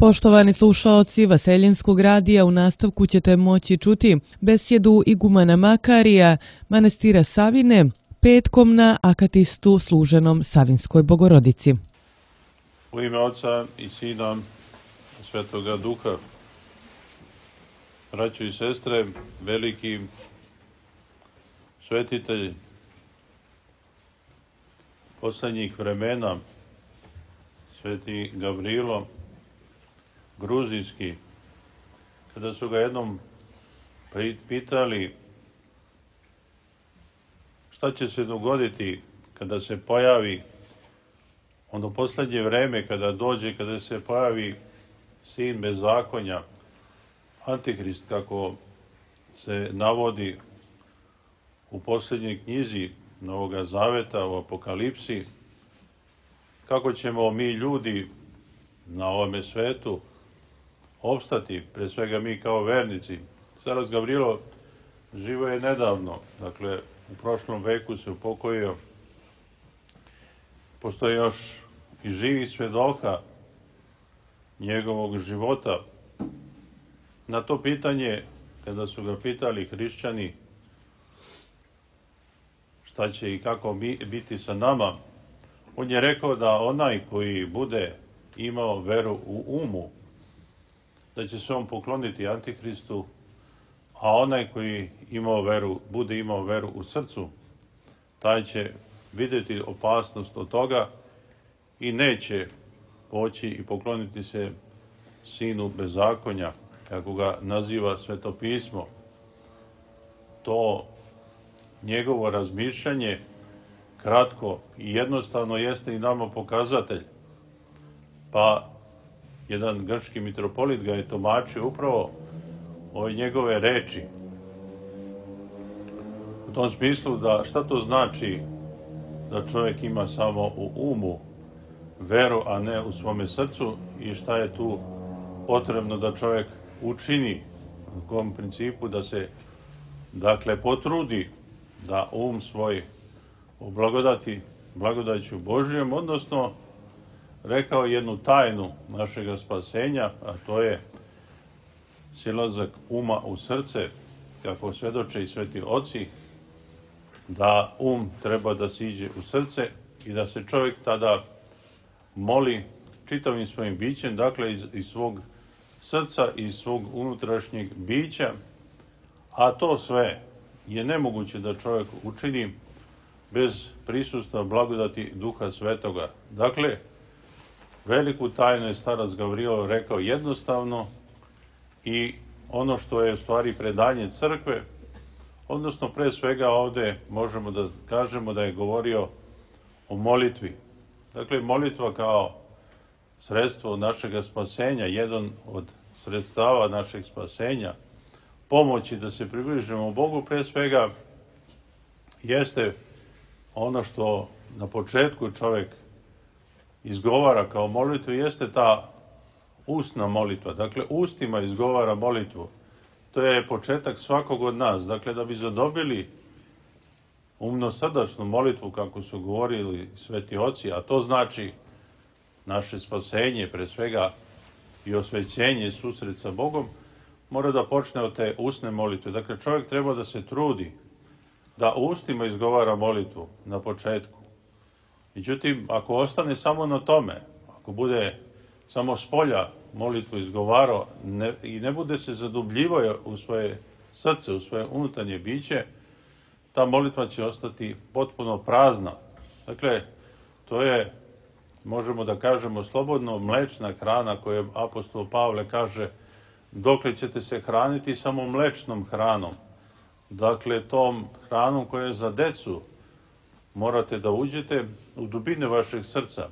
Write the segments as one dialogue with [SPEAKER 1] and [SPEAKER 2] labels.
[SPEAKER 1] Poštovani slušaoci Vaseljenskog radija, u nastavku ćete moći čuti besjedu igumana Makarija, manastira Savine, petkom na akatistu služenom Savinskoj Bogorodici.
[SPEAKER 2] U ime Oca i Sina Svetoga Duha. Braćo i sestre, veliki svetitelj poslednjih vremena, sveti Gavrilo Gruzijski, kada su ga jednom pitali šta će se dogoditi kada se pojavi ono poslednje vreme, kada dođe, kada se pojavi sin bezakonja, Antihrist, kako se navodi u poslednjoj knjizi Novoga Zaveta, u Apokalipsi, kako ćemo mi ljudi na ovome svetu opstati, pre svega mi kao vernici. Starac Gavrilo živo je nedavno, dakle u prošlom veku se upokojio. Postoje još i živi svedoka njegovog života. Na to pitanje, kada su ga pitali hrišćani šta će i kako biti sa nama, on je rekao da onaj koji bude imao veru u umu, da će se on pokloniti Antihristu, a onaj koji bude imao veru u srcu, taj će vidjeti opasnost od toga i neće poći i pokloniti se sinu bezakonja, kako ga naziva Sveto pismo. To njegovo razmišljanje, kratko i jednostavno, jeste i nama pokazatelj. Pa jedan grčki mitropolit ga je tumačio upravo ove njegove reči. U tom smislu da šta to znači da čovjek ima samo u umu veru, a ne u svome srcu, i šta je tu potrebno da čovjek učini, u kom principu da se potrudi da um svoj oblagodati blagodaću Božijom, odnosno rekao jednu tajnu našega spasenja, a to je silazak uma u srce, kako svedoče i sveti oci, da treba da siđe u srce i da se čovjek tada moli čitavim svojim bićem, dakle iz svog srca i iz svog unutrašnjeg bića, a to sve je nemoguće da čovjek učini bez prisustva blagodati Duha Svetoga. Dakle, veliku tajnu je starac Gavrilo rekao jednostavno, i ono što je u stvari predanje crkve, odnosno pre svega ovde možemo da kažemo da je govorio o molitvi. Dakle, molitva kao sredstvo našeg spasenja, jedan od sredstava našeg spasenja, pomoći da se približimo Bogu, pre svega jeste ono što na početku čovjek izgovara kao molitvu, jeste ta ustna molitva. Dakle, ustima izgovara molitvu. To je početak svakog od nas. Dakle, da bi zadobili umno-srdačnu molitvu, kako su govorili sveti oci, a to znači naše spasenje, pre svega i osvećenje, susret sa Bogom, mora da počne od te usne molitve. Dakle, čovjek treba da se trudi da ustima izgovara molitvu na početku. Međutim, ako ostane samo na tome, ako bude samo spolja molitvu izgovarao i ne bude se zadubljivao u svoje srce, u svoje unutarnje biće, ta molitva će ostati potpuno prazna. Dakle, to je, možemo da kažemo slobodno, mlečna hrana koju apostol Pavle kaže, dokle ćete se hraniti samo mlečnom hranom. Dakle, tom hranom koja je za decu, morate da uđete u dubine vašeg srca.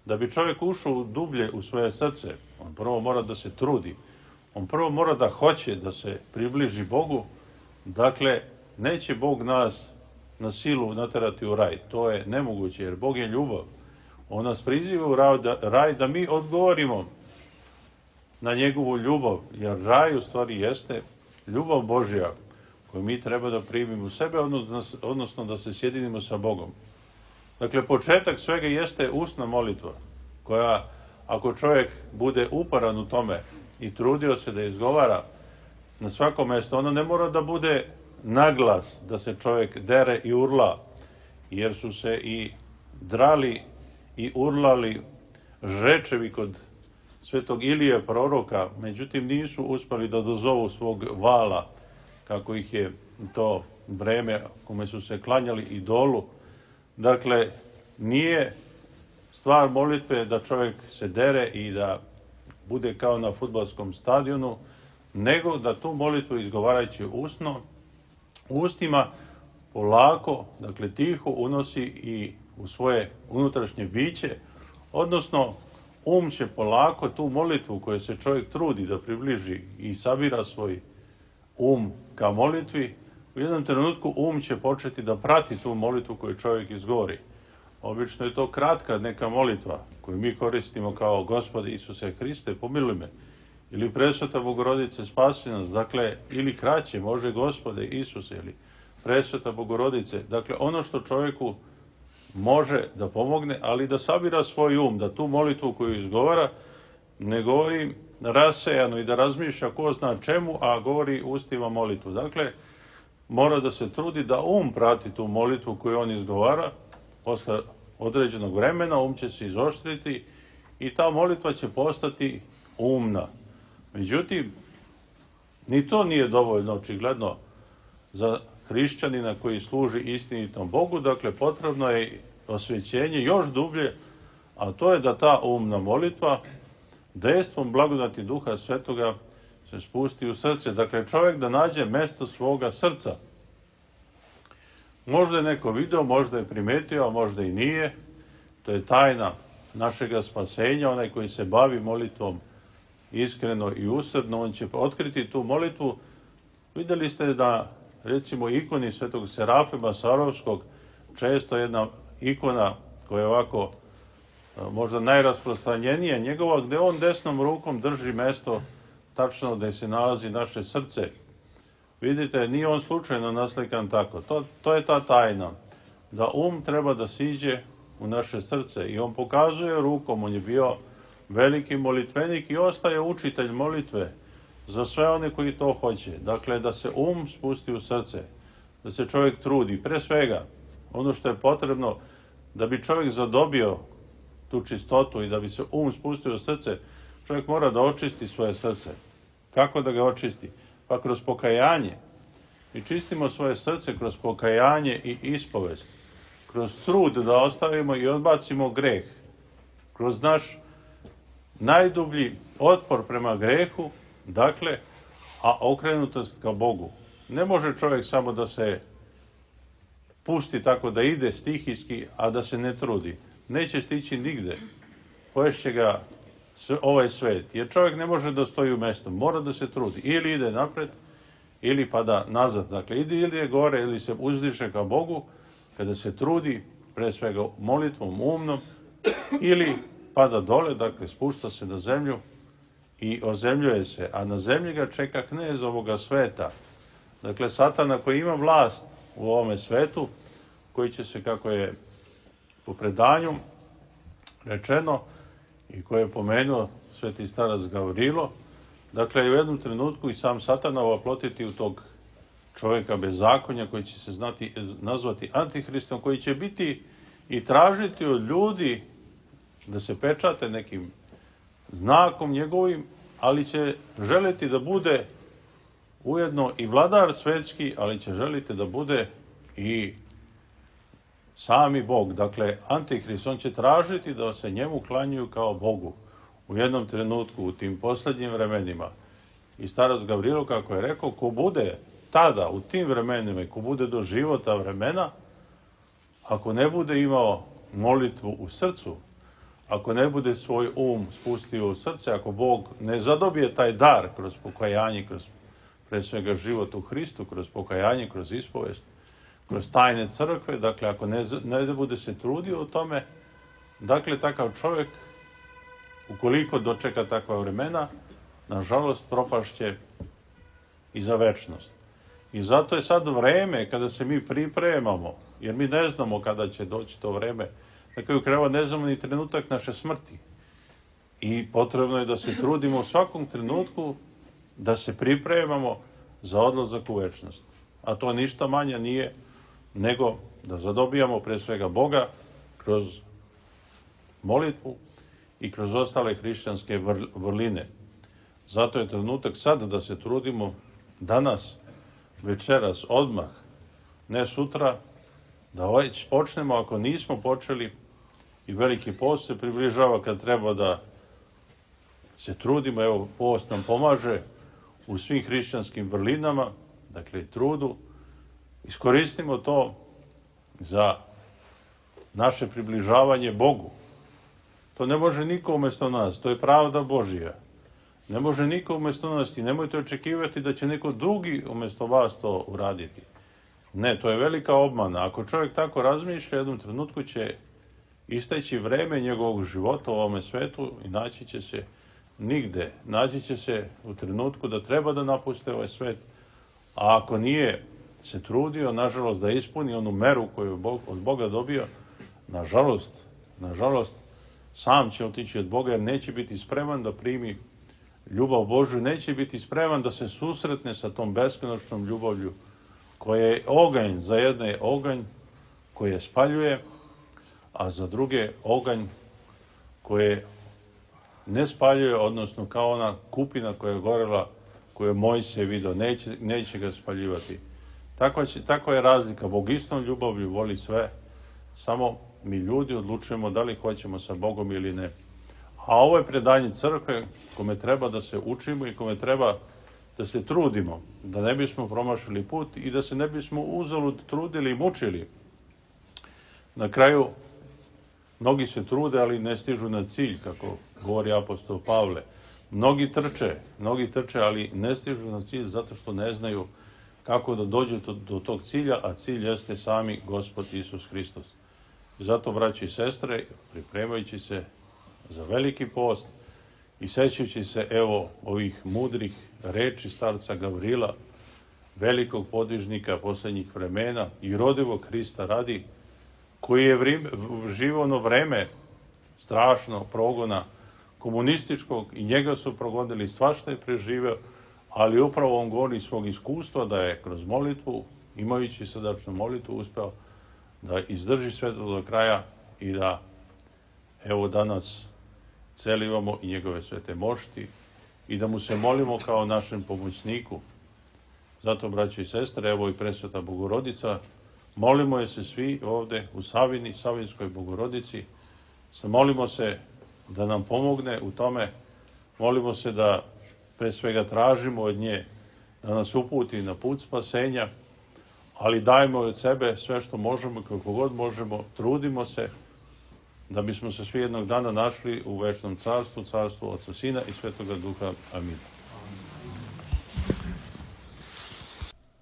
[SPEAKER 2] Da bi čovjek ušao dublje u svoje srce, on prvo mora da se trudi. On prvo mora da hoće da se približi Bogu. Dakle, neće Bog nas na silu naterati u raj. To je nemoguće, jer Bog je ljubav. On nas priziva u raj da mi odgovorimo na njegovu ljubav, jer raj u stvari jeste ljubav Božja koju mi treba da primimo u sebe, odnosno da se sjedinimo sa Bogom. Dakle, početak svega jeste ustna molitva, koja ako čovjek bude uporan u tome i trudio se da izgovara na svako mjesto, ono ne mora da bude naglas, da se čovjek dere i urla, jer su se i drali i urlali žrečevi kod svetog Ilije proroka, međutim nisu uspjeli da dozovu svog vala, kako ih je to vreme kome su se klanjali idolu. Dakle, nije stvar molitve da čovjek se dere i da bude kao na fudbalskom stadionu, nego da tu molitvu izgovarajući ustima polako, dakle tiho unosi i u svoje unutrašnje biće, odnosno će polako tu molitvu koju se čovjek trudi da približi i sabira svoj ka molitvi, u jednom trenutku će početi da prati tu molitvu koju čovjek izgovori. Obično je to kratka neka molitva koju mi koristimo kao Gospode Isuse Hriste, pomiluj me, ili Presveta Bogorodice spasi nas, dakle, ili kraće, može Gospode Isuse, ili Presveta Bogorodice, dakle, ono što čovjeku može da pomogne, ali da sabira svoj da tu molitvu koju izgovara ne govori rasejano i da razmišlja ko zna čemu, a govori ustima molitvu. Dakle, mora da se trudi da prati tu molitvu koju on izgovara. Posle određenog vremena će se izoštriti i ta molitva će postati umna. Međutim, ni to nije dovoljno očigledno za hrišćanina koji služi istinitom Bogu. Dakle, potrebno je osvećenje još dublje, a to je da ta umna molitva dejstvom blagodati Duha Svetoga se spusti u srce. Dakle, čovjek da nađe mesto svoga srca. Možda je neko video, možda je primetio, a možda i nije. To je tajna našega spasenja. Onaj koji se bavi molitvom iskreno i usrdno, on će otkriti tu molitvu. Vidjeli ste da, recimo, ikoni svetog Serafima Sarovskog, često jedna ikona koja je ovako možda najrasprostranjenija njegova, gdje on desnom rukom drži mesto tačno gdje se nalazi naše srce. Vidite, nije on slučajno naslikan tako. To je ta tajna. Da treba da siđe u naše srce i on pokazuje rukom, on je bio veliki molitvenik i ostaje učitelj molitve za sve one koji to hoće. Dakle, da se spusti u srce, da se čovjek trudi. Pre svega, ono što je potrebno da bi čovjek zadobio tu čistotu i da bi se spustio u srce, čovjek mora da očisti svoje srce. Kako da ga očisti? Pa kroz pokajanje. Mi čistimo svoje srce kroz pokajanje i ispovest. Kroz trud da ostavimo i odbacimo greh. Kroz naš najdublji otpor prema grehu, dakle, a okrenutost ka Bogu. Ne može čovjek samo da se pusti tako da ide stihijski, a da se ne trudi. Neće stići nigde. Poješće ga ovaj svet. Jer čovjek ne može da stoji u mjestu. Mora da se trudi. Ili ide napred, ili pada nazad. Dakle, ili je gore, ili se uzdiše ka Bogu, kada se trudi, pre svega molitvom umnom, ili pada dole, dakle, spušta se na zemlju i ozemljuje se. A na zemlji ga čeka knez ovoga sveta. Dakle, Satana koji ima vlast u ovome svetu, koji će se, kako je po predanju rečeno i koje je pomenuo sveti starac Gavrilo, dakle, u jednom trenutku i sam Satana oplotiti u tog čovjeka bezakonja koji će se nazvati Antihristom, koji će biti i tražiti od ljudi da se pečate nekim znakom njegovim, ali će želiti da bude ujedno i vladar svetski, ali će želiti da bude i sami Bog. Dakle, Antihrist, on će tražiti da se njemu klanjuju kao Bogu u jednom trenutku, u tim posljednjim vremenima. I starac Gavrilo, kako je rekao, ko bude tada, u tim vremenima, i ko bude do života vremena, ako ne bude imao molitvu u srcu, ako ne bude svoj spustio u srce, ako Bog ne zadobije taj dar kroz pokajanje, kroz pre svega život u Hristu, kroz pokajanje, kroz ispovest, kroz tajne crkve, dakle, ako ne bude se trudio u tome, dakle, takav čovjek, ukoliko dočeka takva vremena, nažalost, propašće i za večnost. I zato je sad vreme kada se mi pripremamo, jer mi ne znamo kada će doći to vreme. Na kraju krajeva ne znamo ni trenutak naše smrti. i potrebno je da se trudimo u svakom trenutku da se pripremamo za odlazak u večnost. A to ništa manje nije nego da zadobijamo pre svega Boga kroz molitvu i kroz ostale hrišćanske vrline. Zato je trenutak sad da se trudimo danas, večeras, odmah, ne sutra, da već počnemo, ako nismo počeli, i veliki post se približava kad treba da se trudimo. Evo, post nam pomaže u svim hrišćanskim vrlinama, dakle trudu. Iskoristimo to za naše približavanje Bogu. To ne može niko umjesto nas, to je pravda Božija. Ne može niko umjesto nas i nemojte očekivati da će neko drugi umjesto vas to uraditi. Ne, to je velika obmana. Ako čovjek tako razmišlja, jednom trenutku će isteći vreme njegovog života u ovome svetu i naći će se nigde. Naći će se u trenutku da treba da napuste ovaj svet, a ako nije se trudio, nažalost, da ispuni onu meru koju je od Boga dobio, nažalost, sam će otići od Boga jer neće biti spreman da primi ljubav Božju, neće biti spreman da se susretne sa tom beskonačnom ljubavlju koja je oganj, za jedne je oganj koje spaljuje, a za druge oganj koje ne spaljuje, odnosno kao ona kupina koja je gorela, koju je Mojsije video, neće ga spaljivati. Takva je razlika. Bog istom ljubavlju voli sve, samo mi ljudi odlučujemo da li hoćemo sa Bogom ili ne. A ovo je predanje crkve kome treba da se učimo i kome treba da se trudimo, da ne bismo promašili put i da se ne bismo uzalud trudili i mučili. Na kraju, mnogi se trude, ali ne stižu na cilj, kako govori apostol Pavle. Mnogi trče, ali ne stižu na cilj zato što ne znaju kako da dođu do tog cilja, a cilj jeste sami Gospod Isus Hristos. I zato, braći i sestre, pripremajući se za veliki post i sećajući se, evo, ovih mudrih reči starca Gavrila, velikog podvižnika posljednjih vremena i rodivog Hrista radi, koji je živo ono vreme strašno progona komunističkog i njega su progonili, svašta je preživeo, ali upravo on govori svog iskustva da je kroz molitvu, imajući srdačnu molitvu, uspeo da izdrži sve do kraja i da, evo, danas celivamo i njegove svete mošti i da mu se molimo kao našem pomoćniku. Zato, braći i sestre, evo i presveta Bogorodica, molimo je se svi ovde u Savini, Savinskoj Bogorodici, molimo se da nam pomogne u tome, molimo se da pre svega tražimo od nje da nas uputi na put spasenja, ali dajmo od sebe sve što možemo, kako god možemo, trudimo se da bismo se svi jednog dana našli u večnom carstvu, carstvu Otca, Sina i Svetoga Duha. Amin.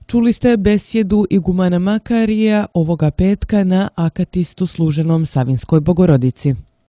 [SPEAKER 1] Čuli ste besjedu igumana Makarija ovoga petka na akatistu služenom Savinskoj Bogorodici.